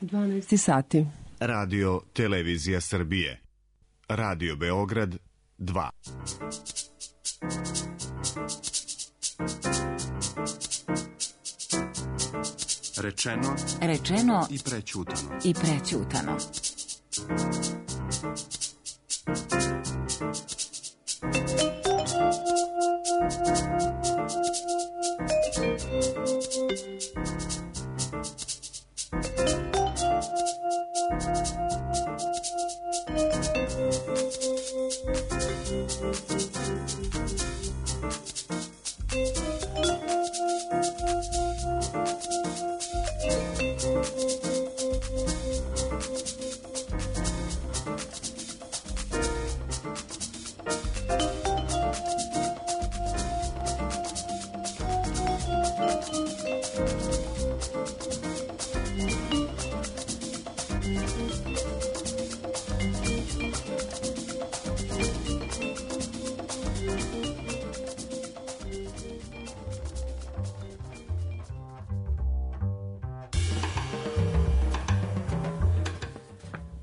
12 sati. Radio Televizija Srbije. Radio Beograd 2. Rečeno i prećutano.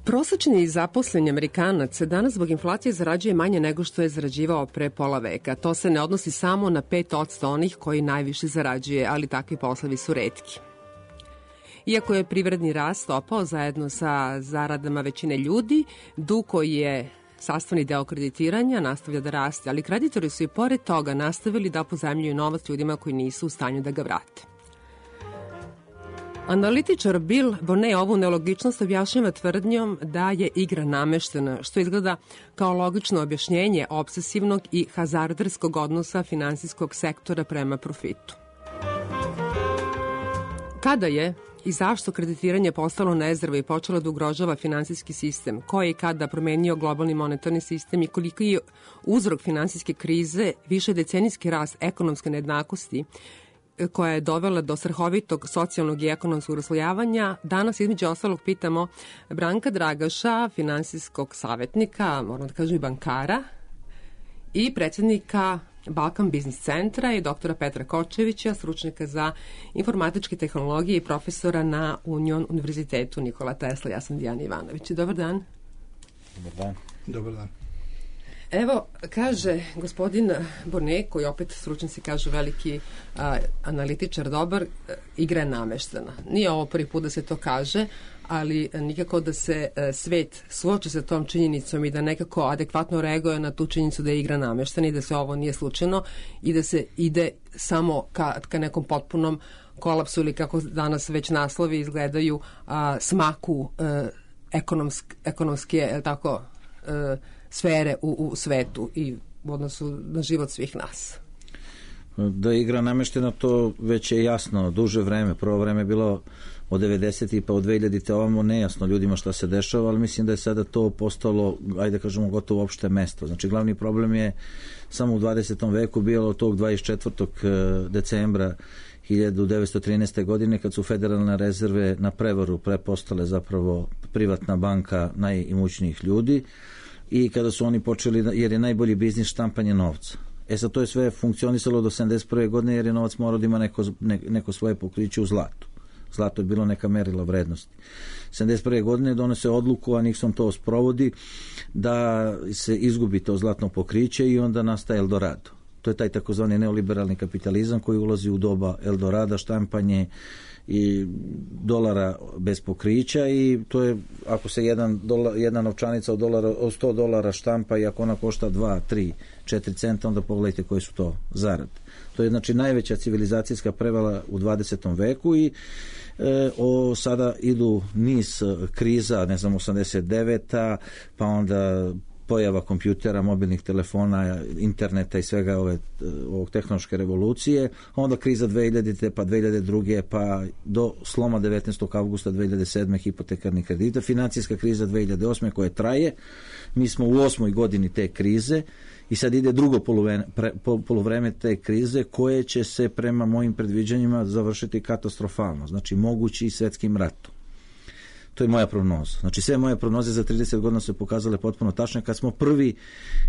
Prosečni zaposleni Amerikanac danas zbog inflacije zarađuje manje nego što je zarađivao pre pola veka. To se ne odnosi samo na 5% onih koji najviše zarađuje, ali takvi poslovi su retki. Iako je privredni rast opao zajedno sa zaradama većine ljudi, dug koji je sastavni deo kreditiranja nastavlja da raste, ali kreditori su i pored toga nastavili da pozajmljuju novac ljudima koji nisu u stanju da ga vrate. Analitičar Bill Bonnet ovu nelogičnost objašnjava tvrdnjom da je igra nameštena, što izgleda kao logično objašnjenje obsesivnog i hazarderskog odnosa finansijskog sektora prema profitu. Kada je i zašto kreditiranje postalo nezdravo i počelo da ugrožava finansijski sistem, ko je i kada promenio globalni monetarni sistem i koliki je uzrok finansijske krize, višedecenijski rast ekonomske nejednakosti, koja je dovela do strahovitog socijalnog i ekonomskog raslojavanja, danas između ostalog pitamo Branka Dragaša, finansijskog savjetnika, moram da kažem i bankara, i predsjednika Balkan Biznis centra i doktora Petra Kočevića, stručnjaka za informatičke tehnologije i profesora na Union univerzitetu Nikola Tesla. Ja sam Dijana Ivanović. Dobar dan. Dobar dan. Dobar dan. Evo, kaže gospodin Bonnet, koji opet stručnjaci kažu veliki analitičar dobar, igra je nameštena. Nije ovo prvi put da se to kaže, ali nikako da se svet suoči sa tom činjenicom i da nekako adekvatno reaguje na tu činjenicu da je igra nameštena i da se ovo nije slučajno i da se ide samo ka nekom potpunom kolapsu ili kako danas već naslovi izgledaju smaku ekonomske tako sfere u svetu i u odnosu na život svih nas. Da je igra nameštena, to već je jasno duže vreme. Prvo vreme je bilo od 90. pa od 2000. ovamo nejasno ljudima šta se dešava, ali mislim da je sada to postalo, ajde kažemo, gotovo opšte mesto. Znači, glavni problem je samo u 20. veku bilo tog 24. decembra 1913. godine kad su federalne rezerve na prevaru prepostale zapravo privatna banka najimućnijih ljudi i kada su oni počeli, jer je najbolji biznis štampanje novca. Sad to je sve funkcionisalo do 71. godine jer je novac morao da ima neko svoje pokriće u zlatu. Zlato je bilo neka merila vrednosti. 71. godine donose odluku, a Nixon to sprovodi, da se izgubi to zlatno pokriće i onda nastaje Eldorado. To je taj takozvani neoliberalni kapitalizam koji ulazi u doba Eldorada, štampanje i dolara bez pokrića i to je, ako se jedna novčanica od $100 štampa i ako ona košta 2, 3, 4 centa, onda pogledajte koje su to zarade. To je znači najveća civilizacijska prevala u 20. veku i sada idu niz kriza, ne znam, 89. pa onda pojava kompjutera, mobilnih telefona, interneta i svega ovog tehnološke revolucije, onda kriza 2000. pa 2002. pa do sloma 19. avgusta 2007. hipotekarnih kredita, financijska kriza 2008. koja traje. Mi smo u 8. godini te krize i sad ide drugo poluvreme te krize koje će se prema mojim predviđanjima završiti katastrofalno, znači mogući svetskim ratom. To je moja prognoza. Znači sve moje prognoze za 30 godina su pokazale potpuno tačne. Kad smo prvi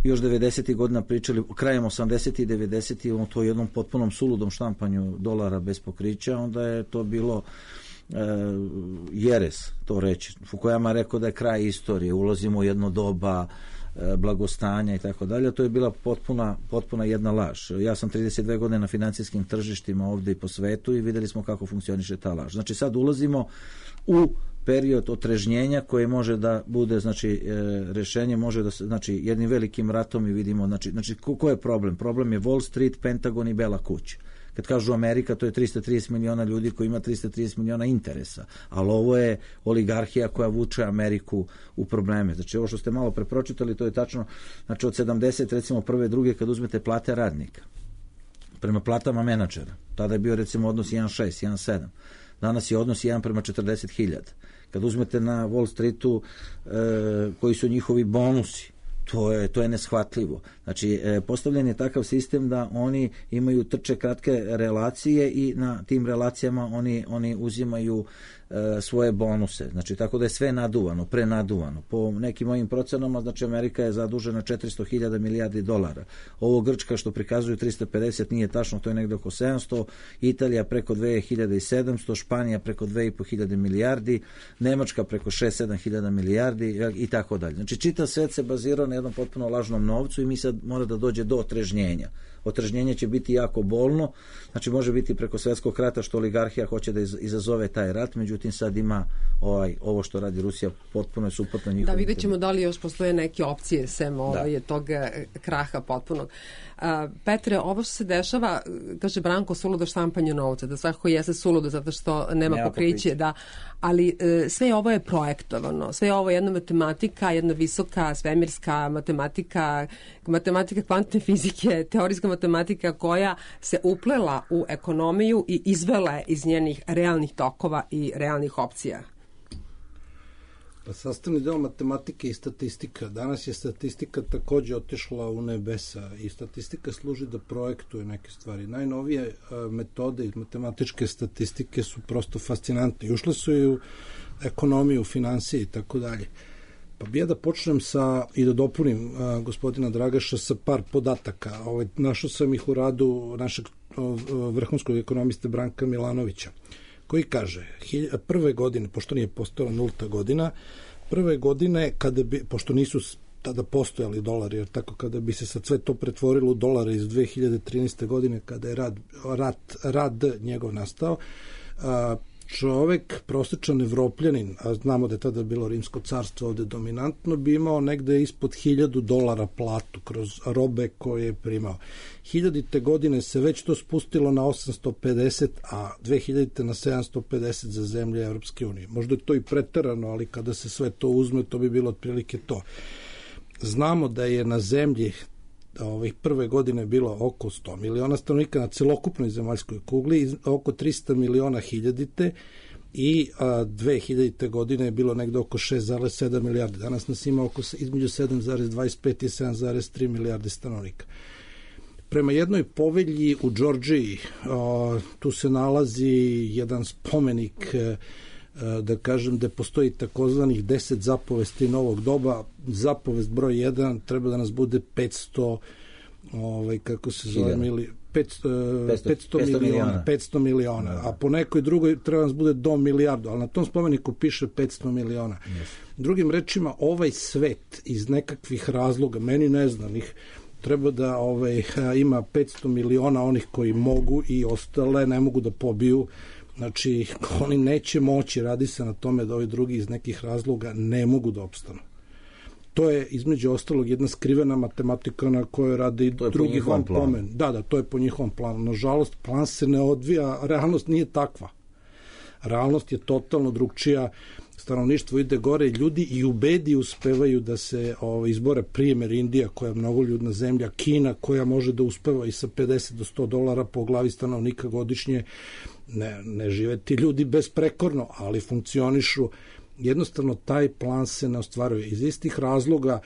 još 90. godina pričali, krajem 80. i 90. o to jednom potpunom suludom štampanju dolara bez pokrića, onda je to bilo jeres to reći. Fukuyama rekao da je kraj istorije, ulazimo u jedno doba blagostanja i tako dalje. To je bila potpuna jedna laž. Ja sam 32 godine na financijskim tržištima ovde i po svetu i videli smo kako funkcioniše ta laž. Znači sad ulazimo u period otrežnjenja koji može da bude, znači rešenje može da se, znači jednim velikim ratom i vidimo, znači ko je problem? Problem je Wall Street, Pentagon i Bela kuća. Kad kažu Amerika, to je 330 miliona ljudi koji ima 330 miliona interesa, ali ovo je oligarhija koja vuče Ameriku u probleme. Znači ovo što ste malo prepročitali, to je tačno, znači od 70, recimo prve, druge, kad uzmete plate radnika prema platama menadžera, tada je bio recimo odnos 1.6, 1.7, danas je odnos 1 prema 40.000. Kad uzmete na Wall Streetu koji su njihovi bonusi, to je neshvatljivo. Znači, postavljen je takav sistem da oni imaju trče kratke relacije i na tim relacijama oni uzimaju svoje bonuse. Znači, tako da je sve naduvano, prenaduvano. Po nekim mojim procenama, znači, Amerika je zadužena 400.000 milijardi dolara. Ovo Grčka što prikazuju 350 nije tačno, to je negde oko 700, Italija preko 2700, Španija preko 2.500 milijardi, Nemačka preko 6-7.000 milijardi i tako dalje. Znači, čitav svet se bazirao na jednom potpuno lažnom novcu i mi sad mora da dođe do otrežnjenja. Otrežnjenje će biti jako bolno, znači može biti preko svetskog rata što oligarhija hoće da izazove taj rat, međutim sad ima ovo što radi Rusija potpuno je suprotno njihovim. Da, vidjet ćemo da li još postoje neke opcije sem tog kraha potpunog. Petre, ovo što se dešava, kaže Branko, suludo štampanje novca, da svakako jeste suludo zato što nema pokriće, da, ali sve ovo je projektovano, sve ovo je jedna matematika, jedna visoka svemirska matematika kvantne fizike, teorijska matematika koja se uplela u ekonomiju i izvela je iz njenih realnih tokova i realnih opcija. Pa sastavni deo matematike i statistika. Danas je statistika takođe otišla u nebesa i statistika služi da projektuje neke stvari. Najnovije metode iz matematičke statistike su prosto fascinantne. Ušle su i u ekonomiju, finansije i tako dalje. Pa bi ja da počnem i da dopunim gospodina Dragaša sa par podataka. Našao sam ih u radu našeg vrhunskog ekonomiste Branka Milanovića, koji kaže, prve godine, pošto nije postojala nulta godina, prve godine, pošto nisu tada postojali dolari, jer tako kada bi se sad sve to pretvorilo u dolare iz 2013. godine, kada je rad njegov nastao, čovek, prosječan Evropljanin, a znamo da je tada bilo Rimsko carstvo ovde dominantno, bi imao negde ispod $1.000 platu kroz robe koje je primao. 1000. godine se već to spustilo na 850, a 2000. na 750 za zemlje Evropske unije. Možda je to i preterano, ali kada se sve to uzme, to bi bilo otprilike to. Znamo da je na zemlji prve godine bilo oko 100 miliona stanovnika na celokupnoj zemaljskoj kugli, oko 300 miliona hiljadite i 2000. godine je bilo negde oko 6,7 milijardi. Danas nas ima između 7,25 i 7,3 milijarde stanovnika. Prema jednoj povelji u Džordžiji, tu se nalazi jedan spomenik, da kažem da postoji takozvanih 10 zapovesti novog doba. Zapovest broj 1 treba da nas bude 500 kako se zove 500 miliona, a po nekoj drugoj treba nas bude do milijardu, ali na tom spomeniku piše 500 miliona. Drugim rečima, ovaj svet iz nekakvih razloga, meni neznanih, treba da ima 500 miliona onih koji mogu i ostale ne mogu da pobiju. Znači, oni neće moći, radi se na tome da ovi drugi iz nekih razloga ne mogu da opstanu. To je, između ostalog, jedna skrivena matematika na kojoj radi drugi van pomen. Da, to je po njihovom planu. Nažalost, plan se ne odvija, realnost nije takva. Realnost je totalno drugčija, stanovništvo ide gore, ljudi i u bedi uspevaju da se izbore, primer Indija koja je mnogoljudna zemlja, Kina koja može da uspeva i sa $50 do $100 po glavi stanovnika godišnje, ne žive ti ljudi besprekorno, ali funkcionišu. Jednostavno taj plan se ne ostvaruje. Iz istih razloga,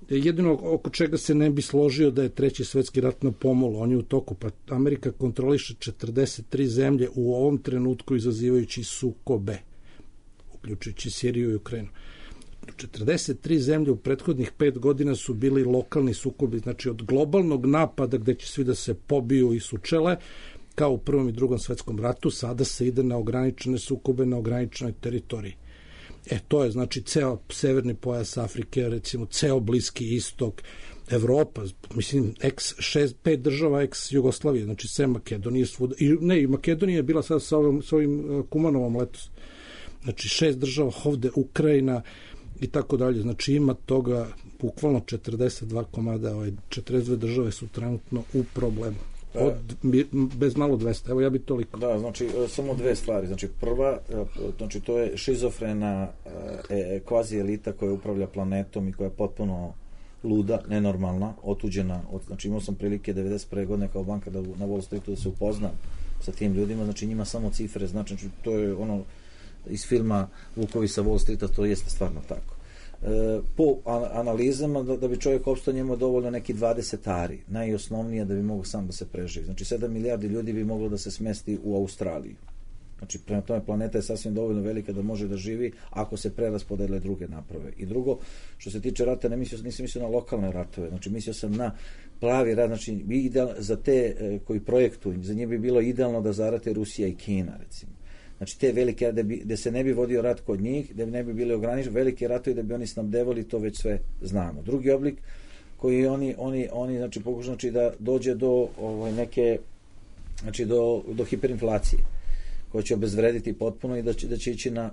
jedino oko čega se ne bi složio da je treći svetski rat na pomolu, on je u toku, pa Amerika kontroliše 43 zemlje u ovom trenutku izazivajući sukobe, uključujući Siriju i Ukrajinu. 43 zemlje u prethodnih 5 godina su bili lokalni sukobi, znači od globalnog napada gde će svi da se pobiju i sučele, kao u Prvom i Drugom svetskom ratu, sada se ide na ograničene sukobe na ograničenoj teritoriji. To je znači ceo severni pojas Afrike, recimo ceo Bliski istok, Evropa, mislim, pet država ex-Jugoslavije, znači sve Makedonije svuda, i Makedonija je bila sad sa ovim Kumanovom letos. Znači 6 država ovde, Ukrajina i tako dalje, znači ima toga bukvalno 42 komada, 42 države su trenutno u problemu. Bez malo 200, evo ja bi toliko. Da, znači samo dve stvari, znači prva, znači to je šizofrena kvazi elita koja upravlja planetom i koja je potpuno luda, nenormalna, otuđena, znači imao sam prilike 91. godine kao bankar na Wall Streetu da se upoznam sa tim ljudima, znači njima samo cifre, znači to je ono iz filma Vukovi sa Wall Streeta, to jeste stvarno tako. Po analizama da bi čovjek opstao njemu dovoljno neki 20 ari, najosnovnije da bi mogao sam da se preživi. Znači 7 milijardi ljudi bi moglo da se smesti u Australiju. Znači prema tome planeta je sasvim dovoljno velika da može da živi ako se preraspodele druge naprave. I drugo, što se tiče rata, nisam mislio na lokalne ratove, znači mislio sam na pravi rat, znači za te koji projektuju, za njih bi bilo idealno da zarate Rusija i Kina, recimo. Znači te velike, gde se ne bi vodio rat kod njih, gde ne bi bili ograničeni, velike ratovi da bi oni snabdevali, to već sve znamo. Drugi oblik koji oni znači pokušaju znači da dođe do neke, znači do hiperinflacije koja će obezvrediti potpuno i da će ići na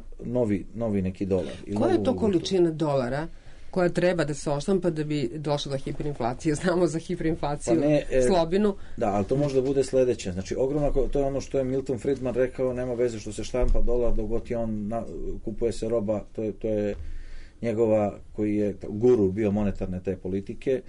novi neki dolar. Koja je to količina dolara koja treba da se oštampa da bi došlo do hiperinflacije? Znamo za hiperinflaciju slobinu. Da, ali to može da bude sledeće. Znači, ogromna, to je ono što je Milton Friedman rekao, nema veze što se štampa dolar, dok god je on kupuje se roba, to je njegova, koji je guru bio monetarne te politike,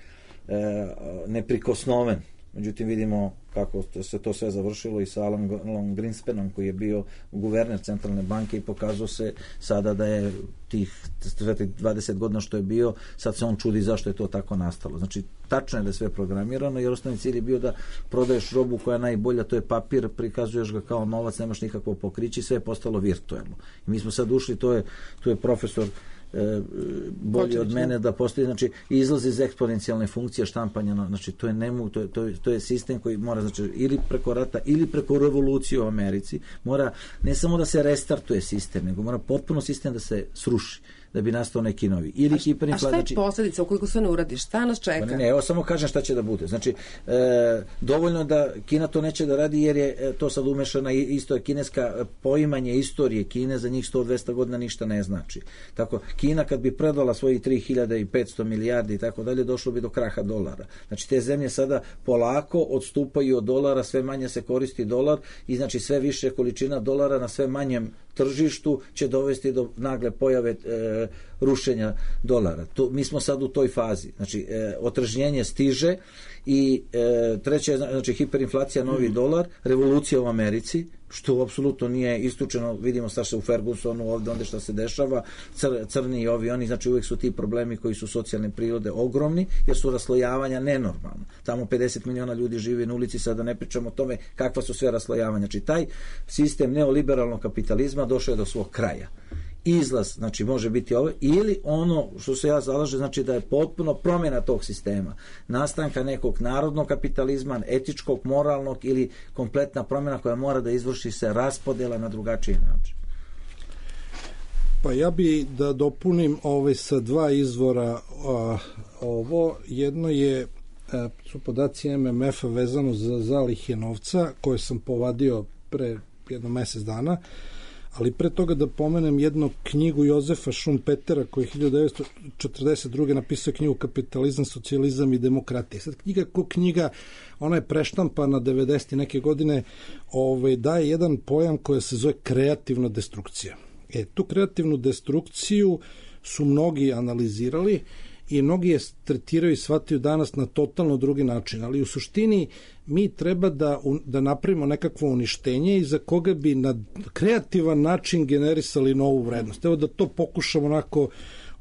neprikosnoven. Međutim, vidimo kako se to sve završilo i sa Alan Greenspanom koji je bio guverner centralne banke i pokazao se sada da je tih 20 godina što je bio, sad se on čudi zašto je to tako nastalo. Znači, tačno je da je sve programirano jer osnovni cilj je bio da prodaješ robu koja je najbolja, to je papir, prikazuješ ga kao novac, nemaš nikakvo pokriće i sve je postalo virtuelno. I mi smo sad ušli, tu je profesor bolji od mene da postoji, znači izlazi iz eksponencijalne funkcije štampanja, znači to je sistem koji mora, znači ili preko rata ili preko revolucije u Americi mora ne samo da se restartuje sistem, nego mora potpuno sistem da se sruši da bi nastao neki novi. A šta je posledica ukoliko se ne uradi? Šta nas čeka? Ne, evo samo kažem šta će da bude. Znači, dovoljno da Kina to neće da radi jer je to sad umešana isto je kineska poimanje istorije Kine, za njih 100-200 godina ništa ne znači. Tako, Kina kad bi predala svoji 3500 milijardi i tako dalje, došlo bi do kraha dolara. Znači, te zemlje sada polako odstupaju od dolara, sve manje se koristi dolar i znači sve više količina dolara na sve manjem tržištu će dovesti do nagle pojave rušenja dolara. Mi smo sad u toj fazi. Znači, otržnjenje stiže i treće je znači, hiperinflacija, novi dolar, revolucija u Americi, što apsolutno nije istučeno, vidimo šta se u Fergusonu ovde, onda šta se dešava, crni i ovi, oni, znači uvek su ti problemi koji su socijalne prirode ogromni, jer su raslojavanja nenormalna. Tamo 50 miliona ljudi živi na ulici, sada ne pričamo o tome kakva su sve raslojavanja. Znači, taj sistem neoliberalnog kapitalizma došao je do svog kraja. Izlaz, znači može biti ovo, ili ono što se ja zalažem, znači da je potpuno promjena tog sistema, nastanka nekog narodnog kapitalizma, etičkog, moralnog ili kompletna promjena koja mora da izvrši se raspodela na drugačiji način. Pa ja bi da dopunim sa dva izvora ovo. Jedno je su podaci MMF-a vezano za zalihe novca koje sam povadio pre jedno mesec dana, ali pre toga da pomenem jednu knjigu Jozefa Šumpetera koji je 1942. napisao knjigu Kapitalizam, socijalizam i demokratija. Sad knjiga, ona je preštampana 90. neke godine, daje jedan pojam koji se zove kreativna destrukcija. Tu kreativnu destrukciju su mnogi analizirali i mnogi je tretiraju i shvataju danas na totalno drugi način, ali u suštini mi treba da napravimo nekakvo uništenje i za koga bi na kreativan način generisali novu vrednost. Evo da to pokušamo onako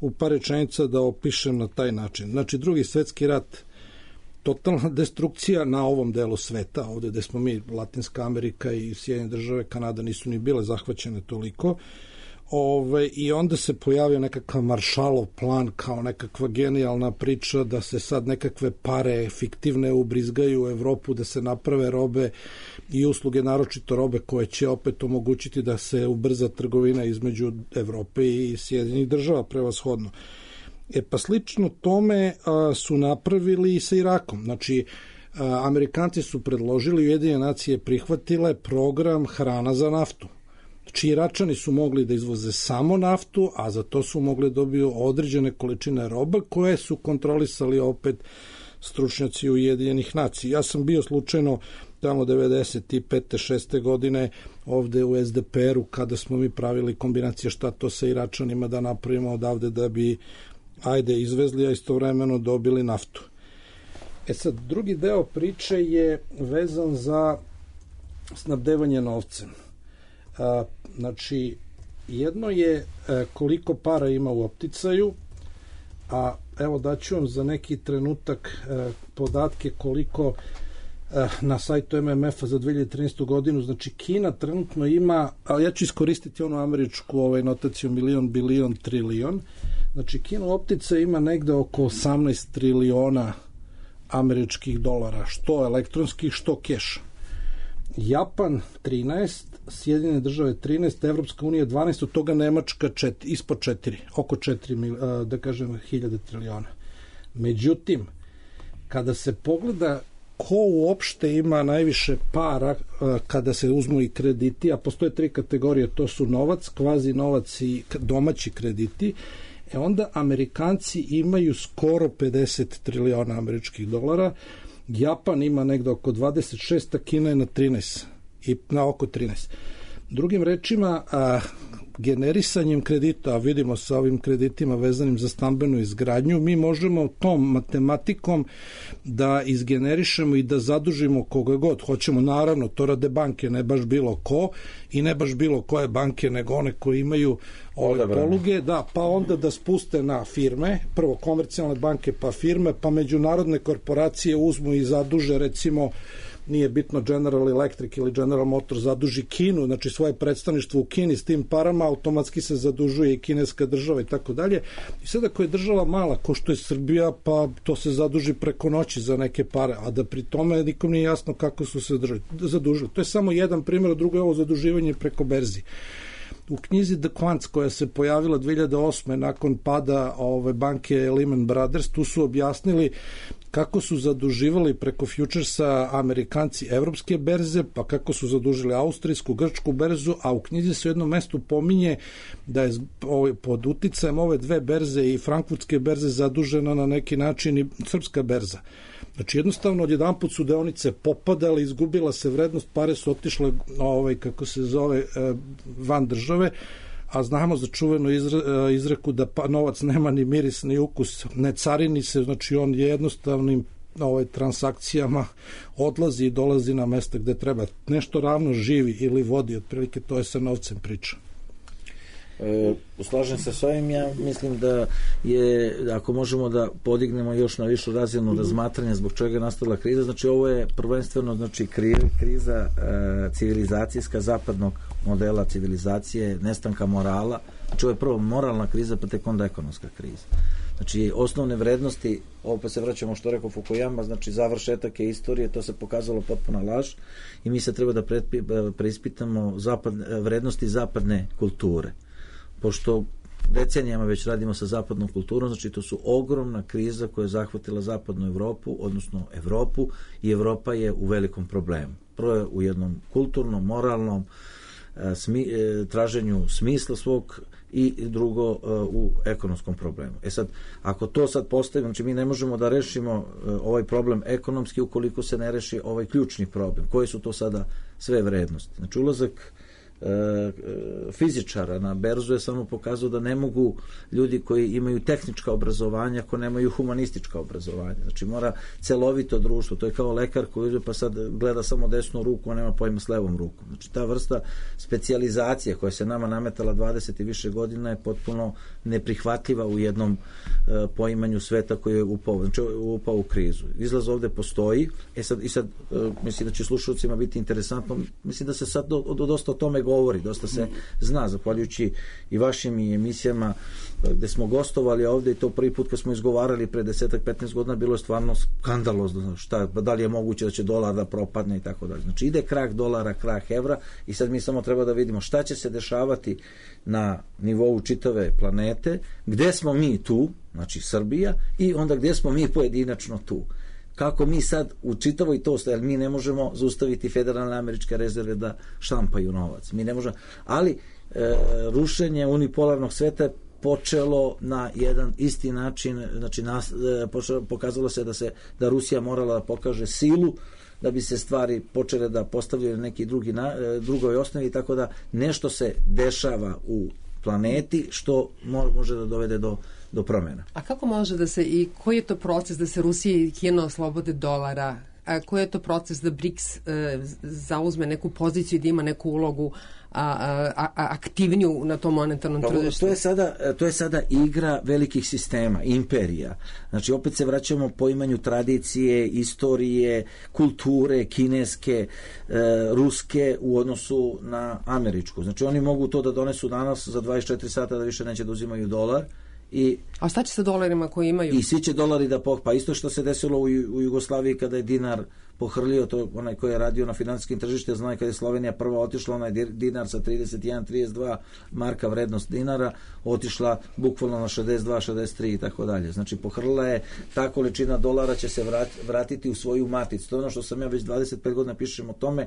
u par rečenica da opišem na taj način. Znači, Drugi svetski rat, totalna destrukcija na ovom delu sveta, ovde gde smo mi, Latinska Amerika i Sjedinjene države, Kanada nisu ni bile zahvaćene toliko. I onda se pojavio nekakav Maršalov plan kao nekakva genijalna priča da se sad nekakve pare fiktivne ubrizgaju u Evropu, da se naprave robe i usluge, naročito robe koje će opet omogućiti da se ubrza trgovina između Evrope i Sjedinjenih država prevashodno. Pa slično tome su napravili i sa Irakom. Znači, Amerikanci su predložili, Ujedinjene nacije prihvatile program hrana za naftu. Znači, Iračani su mogli da izvoze samo naftu, a za to su mogli dobiju određene količine roba koje su kontrolisali opet stručnjaci Ujedinjenih nacija. Ja sam bio slučajno tamo 95. 6. godine ovde u SDPR-u kada smo mi pravili kombinacije šta to sa Iračanima da napravimo odavde da bi izvezli, a istovremeno dobili naftu. Sad, drugi deo priče je vezan za snabdevanje novcem. Znači, jedno je koliko para ima u opticaju, a evo daću vam za neki trenutak podatke koliko na sajtu MMF-a za 2013. godinu. Znači, Kina trenutno ima, ali ja ću iskoristiti onu američku notaciju milion, bilion, trilion. Znači, Kina u opticaju ima negde oko 18 triliona američkih dolara, što elektronskih, što keša. Japan 13, Sjedinjene države 13, Evropska unija 12, od toga Nemačka ispod 4, oko 4, da kažem, 1000 triliona. Međutim, kada se pogleda ko uopšte ima najviše para kada se uzmu i krediti, a postoje 3 kategorije, to su novac, kvazi novac i domaći krediti, onda Amerikanci imaju skoro 50 triliona američkih dolara, Japan ima negde oko 26, a Kina je na 13 i na oko 13. Drugim rečima, generisanjem kredita, a vidimo sa ovim kreditima vezanim za stambenu izgradnju, mi možemo tom matematikom da izgenerišemo i da zadužimo koga god hoćemo. Naravno, to rade banke, ne baš bilo ko i ne baš bilo koje banke, nego one koje imaju ove poluge, pa onda da spuste na firme, prvo komercijalne banke, pa firme, pa međunarodne korporacije uzmu i zaduže, recimo, nije bitno General Electric ili General Motors zaduži Kinu, znači svoje predstavništvo u Kini s tim parama, automatski se zadužuje i kineska država i tako dalje. I sad ako je država mala, ko što je Srbija, pa to se zaduži preko noći za neke pare, a da pri tome nikom nije jasno kako su se zadužili. To je samo jedan primjer, a drugo je ovo zaduživanje preko berzi. U knjizi The Quants koja se pojavila 2008. nakon pada banke Lehman Brothers, tu su objasnili kako su zaduživali preko futuresa Amerikanci evropske berze, pa kako su zadužili austrijsku, grčku berzu, a u knjizi se u jednom mestu pominje da je pod uticajem ove dve berze i frankfurtske berze zadužena na neki način i srpska berza. Znači jednostavno odjedanput su deonice popadale, izgubila se vrednost, pare su otišle van države, a znamo za čuvenu izreku da novac nema ni miris ni ukus, ne carini se, znači on je jednostavnim transakcijama odlazi i dolazi na mesta gde treba. Nešto ravno živi ili vodi, otprilike to je sa novcem priča. Slažem se s ovim, ja mislim da je, ako možemo da podignemo još na višu razinu razmatranja zbog čega je nastala kriza, znači ovo je prvenstveno kriza civilizacijska, zapadnog modela civilizacije, nestanka morala, znači ovo je prvo moralna kriza, pa tek onda ekonomska kriza. Znači osnovne vrednosti, ovo pa se vraćamo što rekao Fukuyama, znači završetak je istorije, to se pokazalo potpuna laž i mi se treba da preispitamo vrednosti zapadne kulture. Pošto decenijama već radimo sa zapadnom kulturom, znači to su ogromna kriza koja je zahvatila zapadnu Evropu, odnosno Evropu, i Evropa je u velikom problemu. Prvo je u jednom kulturnom, moralnom traženju smisla svog i drugo u ekonomskom problemu. Sad, ako to sad postavimo, znači mi ne možemo da rešimo ovaj problem ekonomski ukoliko se ne reši ovaj ključni problem. Koje su to sada sve vrednosti? Znači ulazak fizičara na berzu je samo pokazao da ne mogu ljudi koji imaju tehnička obrazovanja ako nemaju humanistička obrazovanja. Znači mora celovito društvo, to je kao lekar koji ide pa sad gleda samo desnu ruku, a nema pojma s levom rukom. Znači ta vrsta specijalizacije koja se nama nametala 20 i više godina je potpuno neprihvatljiva u jednom poimanju sveta koji je upao u krizu. Izlaz ovde postoji, sad mislim da će slušalcima biti interesantno, mislim da se sad dosta o tome govori, dosta se zna, zahvaljujući i vašim i emisijama gde smo gostovali ovde, i to prvi put kad smo izgovarali pre 10-15 godina bilo je stvarno skandalozno, da li je moguće da će dolar da propadne i tako dalje. Znači ide krah dolara, krah evra, i sad mi samo treba da vidimo šta će se dešavati na nivou čitave planete, gde smo mi tu, znači Srbija, i onda gde smo mi pojedinačno tu. Kako mi sad u čitavoj to, jer mi ne možemo zaustaviti federalne američke rezerve da štampaju novac. Mi ne možemo, ali rušenje unipolarnog sveta počelo na jedan isti način, znači pokazalo se da Rusija morala da pokaže silu da bi se stvari počele da postavljaju na neki drugoj osnovi, tako da nešto se dešava u planeti što može da dovede do promjena. A kako može da se, i koji je to proces da se Rusija i Kina oslobode dolara? A koji je to proces da BRICS zauzme neku poziciju i da ima neku ulogu aktivniju na tom monetarnom tržištu? To je sada igra velikih sistema, imperija. Znači opet se vraćamo poimanju tradicije, istorije, kulture, kineske, ruske u odnosu na američku. Znači oni mogu to da donesu danas za 24 sata da više neće da uzimaju dolar. A šta će sa dolarima koji imaju? I svi će dolari da pa isto što se desilo u Jugoslaviji kada je dinar pohrlio, to onaj koji je radio na finansijskim tržištima zna, kada je Slovenija prva otišla, onaj dinar sa 31-32 marka vrednost dinara otišla bukvalno na 62-63 i tako dalje. Znači pohrlila je, ta količina dolara će se vratiti u svoju maticu. To je ono što sam ja već 25 godina pišem o tome,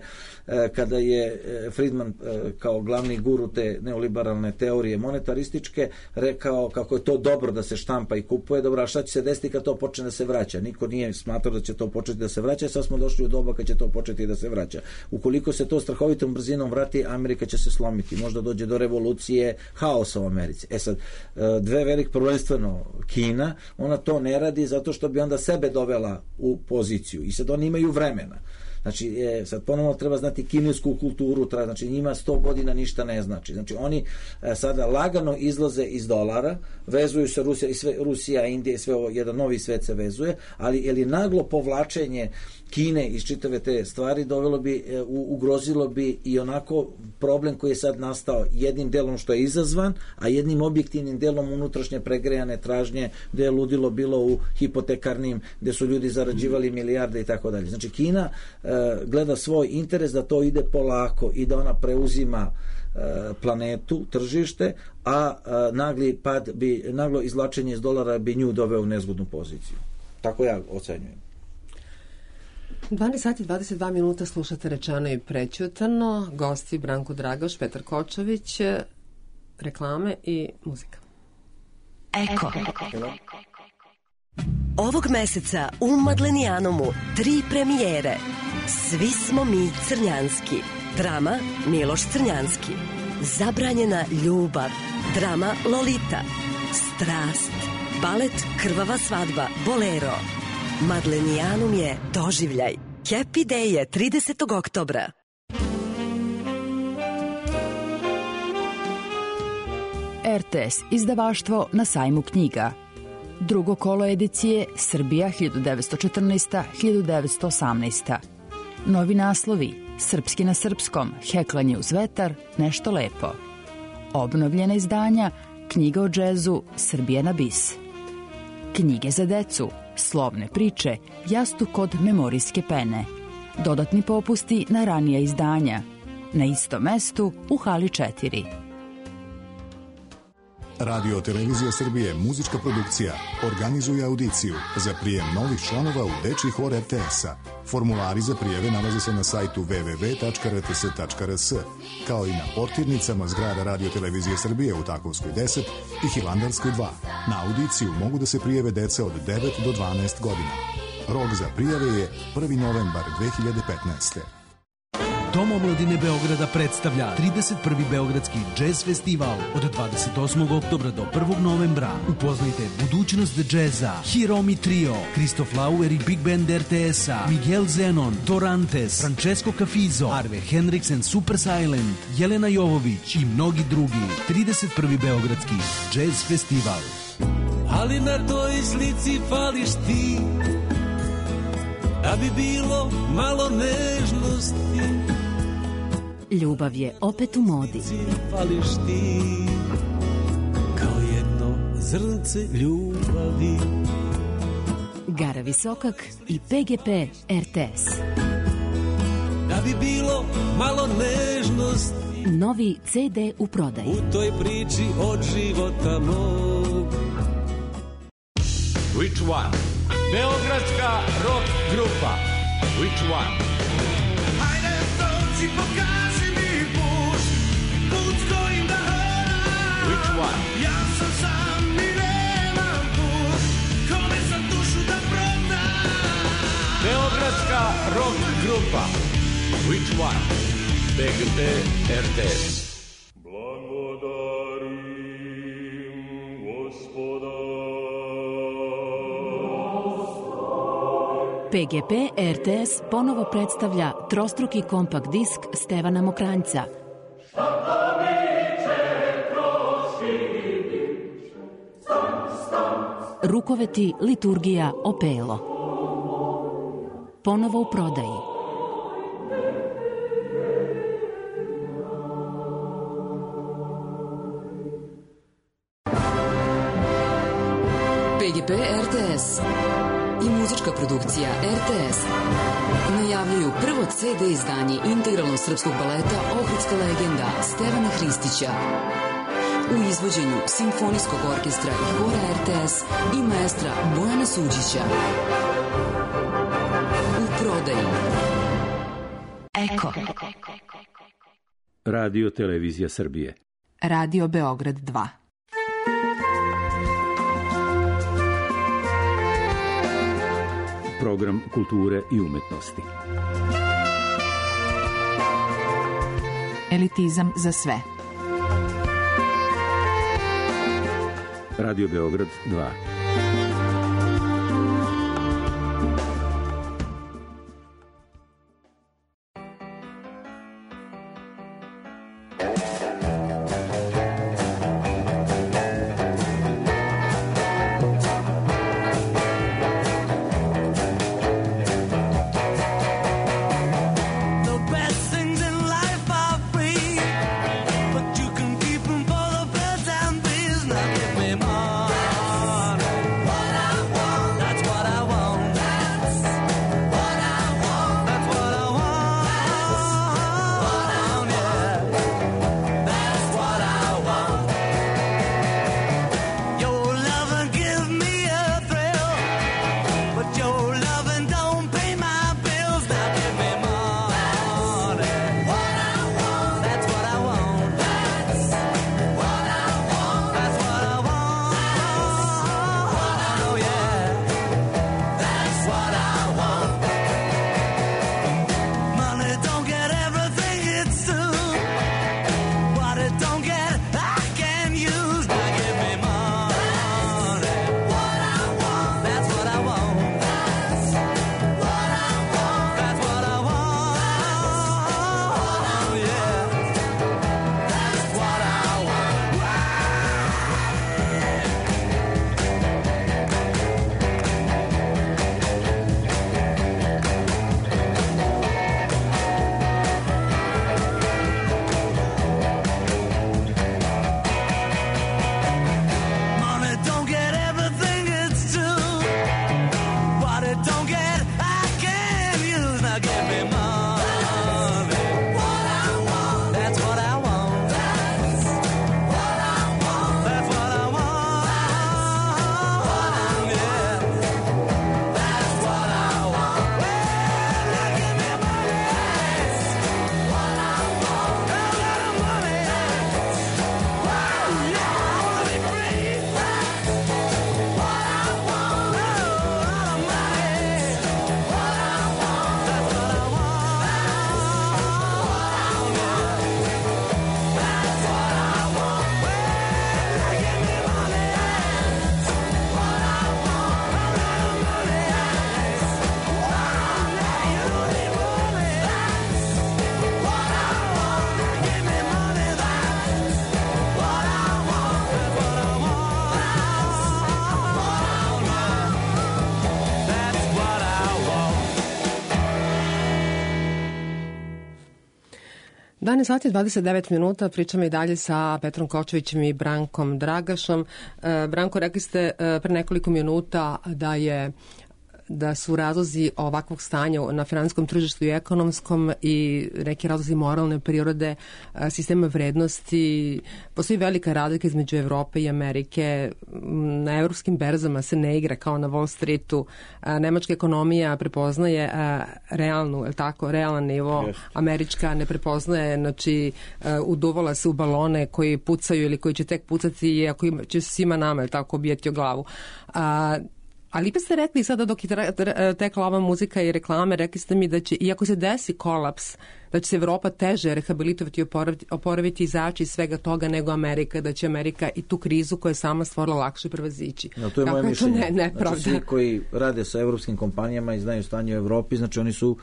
kada je Friedman kao glavni guru te neoliberalne teorije monetarističke rekao kako je to dobro da se štampa i kupuje. Dobro, a šta će se desiti kad to počne da se vraća? Niko nije smatrao da će to početi da se vraća, sad smo došli u doba kad će to početi da se vraća. Ukoliko se to strahovitom brzinom vrati, Amerika će se slomiti. Možda dođe do revolucije, haosa u Americi. Sad, dve velik prvenstveno Kina, ona to ne radi zato što bi onda sebe dovela u poziciju. I sad oni imaju vremena. Znači, sad ponovno treba znati kinesku kulturu, znači njima 100 godina ništa ne znači. Znači, oni sada lagano izlaze iz dolara, vezuju se Rusija, Indija, sve ovo, jedan novi svet se vezuje, ali naglo povlačenje Kine iz čitave te stvari ugrozilo bi i onako problem koji je sad nastao jednim delom što je izazvan, a jednim objektivnim delom unutrašnje pregrejane tražnje gde je ludilo bilo u hipotekarnim, gde su ljudi zarađivali milijarde i tako dalje. Znači Kina gleda svoj interes da to ide polako i da ona preuzima planetu, tržište, a naglo izvlačenje iz dolara bi nju doveo u nezgodnu poziciju. Tako ja ocenjujem. 12 sati 22 minuta, slušate Rečeno i prećutano. Gosti Branko Dragoš, Petar Kočović, reklame i muzika. Eko. Ovog meseca u Madlenijanomu 3 premijere. Svi smo mi Crnjanski. Drama Miloš Crnjanski. Zabranjena ljubav. Drama Lolita. Strast. Balet Krvava svadba Bolero. Madlenijanum je doživljaj. Happy Day je 30. oktobra. RTS izdavaštvo na sajmu knjiga. Drugo kolo edicije Srbija 1914-1918. Novi naslovi Srpski na srpskom, Heklanje uz vetar, Nešto lepo. Obnovljena izdanja Knjiga o džezu, Srbija na bis. Knjige za decu, Slovne priče, Jastuk kod memorijske pene. Dodatni popusti na ranija izdanja. Na istom mestu u hali 4. Radio Televizija Srbije, muzička produkcija, organizuje audiciju za prijem novih članova u dečji hor RTS-a. Formulari za prijeve nalaze se na sajtu www.rts.rs, kao i na portirnicama zgrada Radio Televizije Srbije u Takovskoj 10 i Hilandarskoj 2. Na audiciju mogu da se prijave deca od 9 do 12 godina. Rok za prijave je 1. novembar 2015. Dom omladine Beograda predstavlja 31. Beogradski džez festival od 28. oktobra do 1. novembra. Upoznajte budućnost džeza, Hiromi Trio, Kristof Lauer i Big Band RTS-a, Miguel Zenon, Dorantes, Francesco Cafizo, Arve Henriksen, Super Silent, Jelena Jovović i mnogi drugi. 31. Beogradski džez festival. Ali na toj slici fališ ti, da bi bilo malo nežnosti. Ljubav je opet u modi. Fališ ti kao jedno zrnce ljubavi. Gara Visokak i PGP RTS. Da bi bilo malo nežnosti Novi CD u prodaji. u toj priči od života mog. Which one? Beogradska rock grupa. Which one? Hajde dođi, pokaži mi put, put kojim da hodam. Which one? Ja sam sam i nemam put, kome sam dušu da prodam. Beogradska rock grupa. Which one? BGP RTS. Blagodarim Gospoda. PGP RTS ponovo predstavlja trostruki kompakt disk Stevana Mokranjca. Rukoveti, liturgija, opelo. Ponovo u prodaji. PGP RTS i muzička produkcija RTS najavljuju prvo CD izdanje integralnog srpskog baleta Ohridska legenda Stevana Hristića u izvođenju Simfonijskog orkestra i hora RTS i maestra Bojana Suđića. U prodaji Eko. Radio Televizija Srbije. Radio Beograd 2. Program kulture i umetnosti. Elitizam za sve. Radio Beograd 2. What 11 sati 29 minuta, pričamo i dalje sa Petrom Kočevićem i Brankom Dragašom. Branko, rekli ste pre nekoliko minuta da su razlozi ovakvog stanja na finansijskom tržištu i ekonomskom i neki razlozi moralne prirode, sistema vrednosti. Postoji velika razlika između Evrope i Amerike. Na evropskim berzama se ne igra kao na Wall Streetu. Nemačka ekonomija prepoznaje realan nivo. Američka ne prepoznaje, znači uduvala se u balone koji pucaju ili koji će tek pucati i ako će svima nama obijeti o glavu. Ali pa ste rekli sada dok je tekla ova muzika i reklame, rekli ste mi da će, iako se desi kolaps, da će se Evropa teže rehabilitovati i oporaviti, izaći iz svega toga nego Amerika, da će Amerika i tu krizu koju je sama stvorila lakše prevazići. To je moje mišljenje. Znači, svi koji rade sa evropskim kompanijama i znaju stanje u Evropi, znači oni su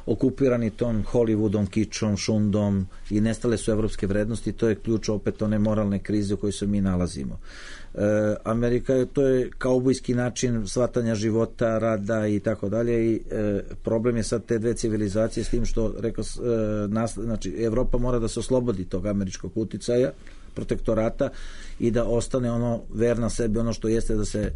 okupirani tom Hollywoodom, kičom, šundom i nestale su evropske vrednosti. To je ključ opet one moralne krize u kojoj se mi nalazimo. Amerika, to je kaubojski način shvatanja života, rada i tako dalje i problem je sad te dve civilizacije s tim što rekao, znači Evropa mora da se oslobodi tog američkog uticaja, protektorata i da ostane ono verna sebi, ono što jeste da se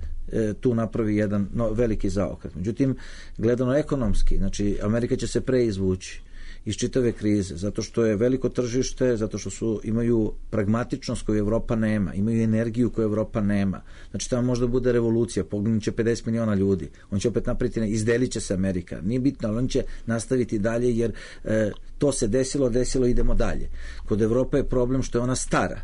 tu napravi jedan veliki zaokret. Međutim, gledano ekonomski, znači Amerika će se preizvući iz čitave krize, zato što je veliko tržište, zato što imaju pragmatičnost koju Evropa nema, imaju energiju koju Evropa nema. Znači tamo možda bude revolucija, poginuće 50 miliona ljudi, on će opet napraviti, izdelit će se Amerika, nije bitno, ali on će nastaviti dalje jer to se desilo, idemo dalje. Kod Evrope je problem što je ona stara.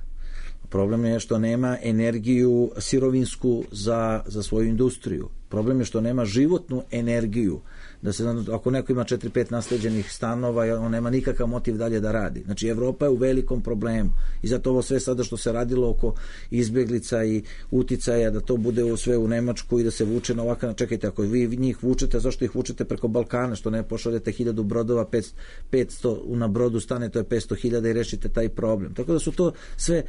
Problem je što nema energiju sirovinsku za svoju industriju. Problem je što nema životnu energiju. Da se, ako neko ima 4-5 nasleđenih stanova, on nema nikakav motiv dalje da radi. Znači, Evropa je u velikom problemu. I zato ovo sve sada što se radilo oko izbjeglica i uticaja, da to bude sve u Nemačku i da se vuče na ovakav... Čekajte, ako vi njih vučete, zašto ih vučete preko Balkana? Što ne pošaljete 1000 brodova, 500 na brodu stane, to je 500.000 i rešite taj problem. Tako da su to sve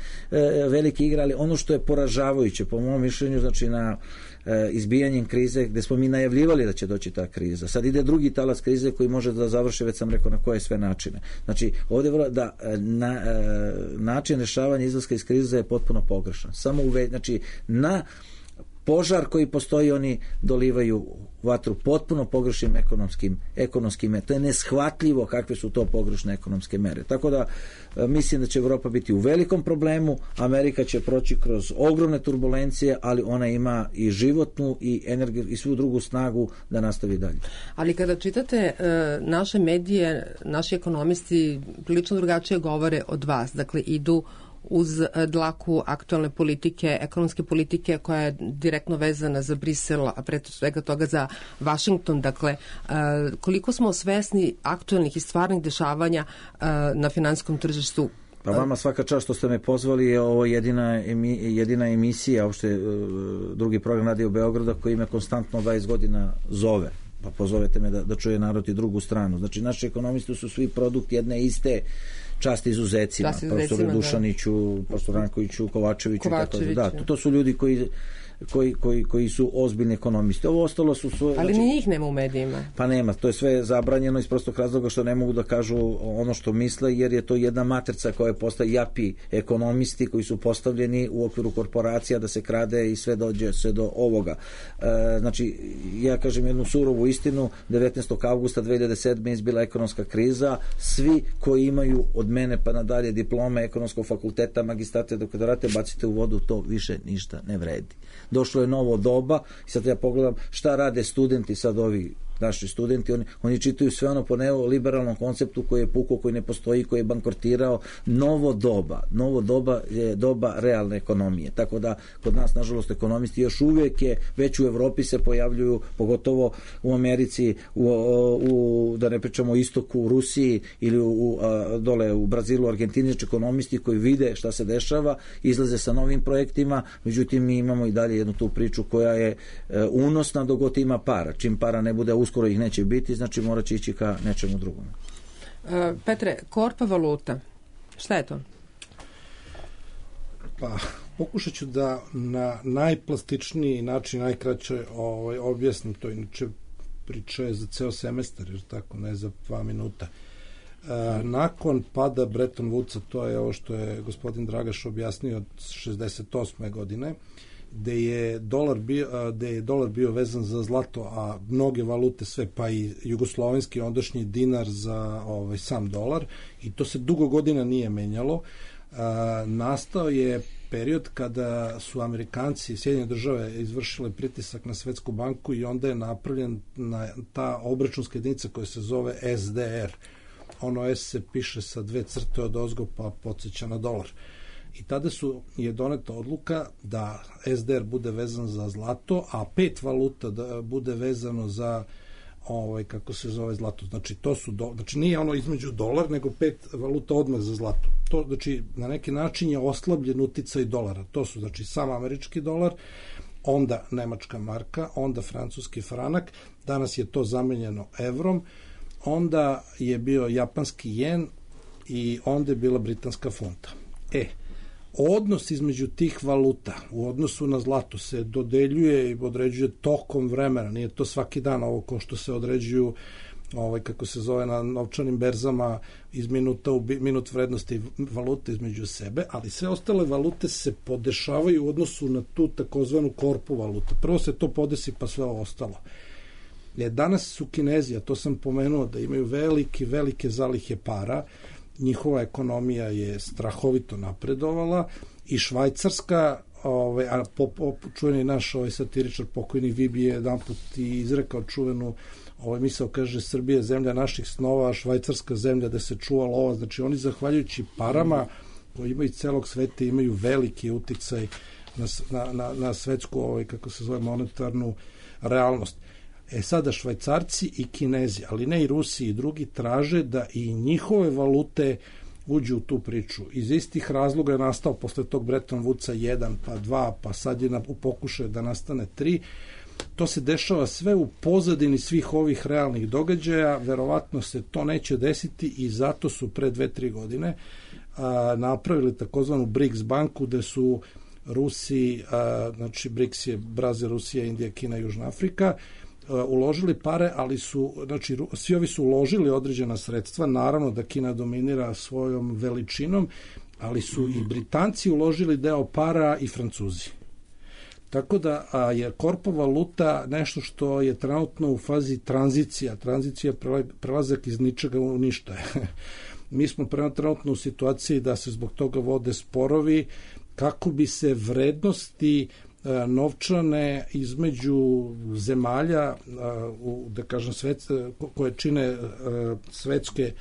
veliki igrali. Ono što je poražavajuće, po mom mišljenju, znači na izbijanjem krize, gde smo mi najavljivali da će doći ta kriza. Sad ide drugi talas krize koji može da završi, već sam rekao na koje sve načine. Znači, ovdje da način rešavanja izlaska iz krize je potpuno pogrešan. Samo znači, na požar koji postoji oni dolivaju vatru potpuno pogrešnim ekonomskim merama. To je neshvatljivo kakve su to pogrešne ekonomske mere. Tako da mislim da će Evropa biti u velikom problemu, Amerika će proći kroz ogromne turbulencije, ali ona ima i životnu i energiju i svu drugu snagu da nastavi dalje. Ali kada čitate naše medije, naši ekonomisti prilično drugačije govore od vas. Dakle, idu uz dlaku aktualne politike, ekonomske politike koja je direktno vezana za Brisel, a pre svega toga za Washington. Dakle, koliko smo svesni aktualnih i stvarnih dešavanja na finansijskom tržištu? Pa vama svaka čast što ste me pozvali, je ovo jedina emisija, uopšte drugi program Radio Beograda koji me konstantno 20 godina zove. Pa pozovete me da čuje narod i drugu stranu. Znači, naši ekonomisti su svi produkt jedne iste čast izuzecima, profesoru Dušaniću, profesoru Rankoviću, Kovačeviću. Da, to su ljudi koji su ozbiljni ekonomisti. Ovo ostalo su svoje... Ali ni njih nema u medijima. Pa nema, to je sve zabranjeno iz prostog razloga što ne mogu da kažu ono što misle, jer je to jedna matrica koja postaje japi ekonomisti koji su postavljeni u okviru korporacija da se krade i sve dođe sve do ovoga. Znači, ja kažem jednu surovu istinu, 19. augusta 2007. izbila ekonomska kriza, svi koji imaju od mene pa nadalje diplome ekonomskog fakulteta, magistrate, doktorate, bacite u vodu, to više ništa ne vredi. Došlo je novo doba i sad ja pogledam šta rade studenti, sad ovi naši studenti, oni čitaju sve ono po neoliberalnom konceptu koji je pukao, koji ne postoji, koji je bankrotirao. Novo doba je doba realne ekonomije. Tako da kod nas, nažalost, ekonomisti još uvijek već u Evropi se pojavljuju, pogotovo u Americi, da ne pričamo o istoku, u Rusiji ili dole u Brazilu, Argentini, ekonomisti koji vide šta se dešava, izlaze sa novim projektima, međutim mi imamo i dalje jednu tu priču koja je unosna dok god ima para. Čim para ne bude, uskoro ih neće biti, znači morat će ići ka nečemu drugom. Petre, korpa valuta, šta je to? Pa, pokušat ću da na najplastičniji način, najkraće objasnim to, inače priča je za ceo semestar, jer tako, ne za 2 minuta. Nakon pada Bretton Woodsa, to je ovo što je gospodin Dragaš objasnio od 68. godine, gde je dolar bio vezan za zlato, a mnoge valute sve, pa i jugoslovenski ondašnji dinar za sam dolar, i to se dugo godina nije menjalo. Nastao je period kada su Amerikanci, Sjedinjene države, izvršile pritisak na Svetsku banku i onda je napravljen ta obračunska jedinica koja se zove SDR. Ono S se piše sa 2 crte od ozgo, pa podsjeća na dolar. I tada je doneta odluka da SDR bude vezan za zlato, a 5 valuta da bude vezano za kako se zove zlato. Znači, znači nije ono između dolar, nego 5 valuta odmah za zlato. To, znači, na neki način je oslabljen uticaj dolara. To su, znači, sam američki dolar, onda nemačka marka, onda francuski franak, danas je to zamenjeno evrom, onda je bio japanski jen i onda je bila britanska funta. Odnos između tih valuta u odnosu na zlato se dodeljuje i određuje tokom vremena, nije to svaki dan ovo ko što se određuju kako se zove na novčanim berzama iz minuta u minut vrednosti valute između sebe, ali sve ostale valute se podešavaju u odnosu na tu takozvanu korpu valuta. Prvo se to podesi, pa sve ostalo. Danas su Kinezi, a to sam pomenuo, da imaju velike zalihe para, njihova ekonomija je strahovito napredovala i Švajcarska, a čuveni naš satiričar pokojni Vibi je jedan put i izrekao čuvenu misao, kaže, Srbija je zemlja naših snova, a Švajcarska zemlja da se čuva lova. Znači oni zahvaljujući parama koji imaju celog sveta imaju veliki uticaj na svetsku, kako se zove, monetarnu realnost. Sada Švajcarci i Kinezi, ali ne i Rusi i drugi, traže da i njihove valute uđu u tu priču. Iz istih razloga je nastao posle tog Bretton Woodsa 1, pa 2, pa sad je u pokušaju da nastane 3. To se dešava sve u pozadini svih ovih realnih događaja, verovatno se to neće desiti i zato su pre 2-3 godine napravili takozvanu BRICS banku, gde su Rusi, znači BRICS je Brazil, Rusija, Indija, Kina, Južna Afrika, uložili pare, ali znači, svi ovi su uložili određena sredstva, naravno da Kina dominira svojom veličinom, ali su i Britanci uložili deo para i Francuzi. Tako da je korpo valuta nešto što je trenutno u fazi tranzicija prelazak iz ničega u ništa. Mi smo trenutno u situaciji da se zbog toga vode sporovi kako bi se vrednosti novčane između zemalja, da kažem, koje čine svetske,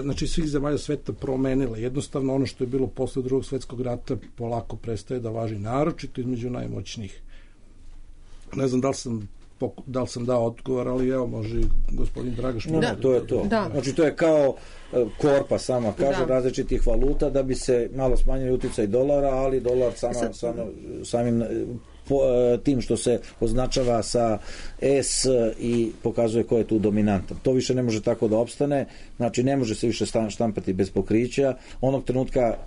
znači svih zemalja sveta promenile. Jednostavno ono što je bilo posle Drugog svetskog rata polako prestaje da važi, naročito između najmoćnijih. Ne znam da li sam dao odgovor, ali evo, može i gospodin Dragaš. To je to. Da. Znači to je kao korpa sama kaže različitih valuta da bi se malo smanjili uticaj dolara, ali dolar samim tim što se označava sa S i pokazuje ko je tu dominantan. To više ne može tako da opstane, znači ne može se više štampati bez pokrića. Onog trenutka